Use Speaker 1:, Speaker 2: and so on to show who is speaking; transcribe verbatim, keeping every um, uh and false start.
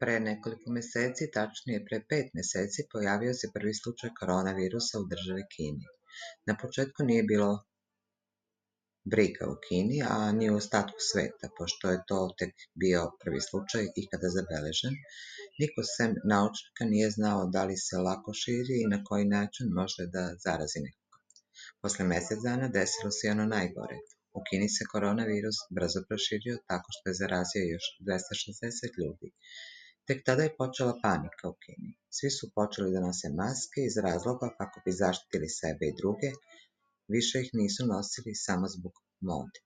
Speaker 1: Pre nekoliko meseci, tačnije pre pet meseci, pojavio se prvi slučaj koronavirusa u državi Kini. Na početku nije bilo briga u Kini, a ni u ostatku sveta, pošto je to tek bio prvi slučaj ikada zabeležen. Niko sem naučnika nije znao da li se lako širi i na koji način može da zarazi nekoga. Posle mesec dana desilo se i ono najgore. U Kini se koronavirus brzo proširio tako što je zarazio još dvesta šezdeset ljudi. Tek tada je počela panika u Kini. Svi su počeli da nose maske iz razloga kako bi zaštitili sebe i druge, više ih nisu nosili samo zbog mode.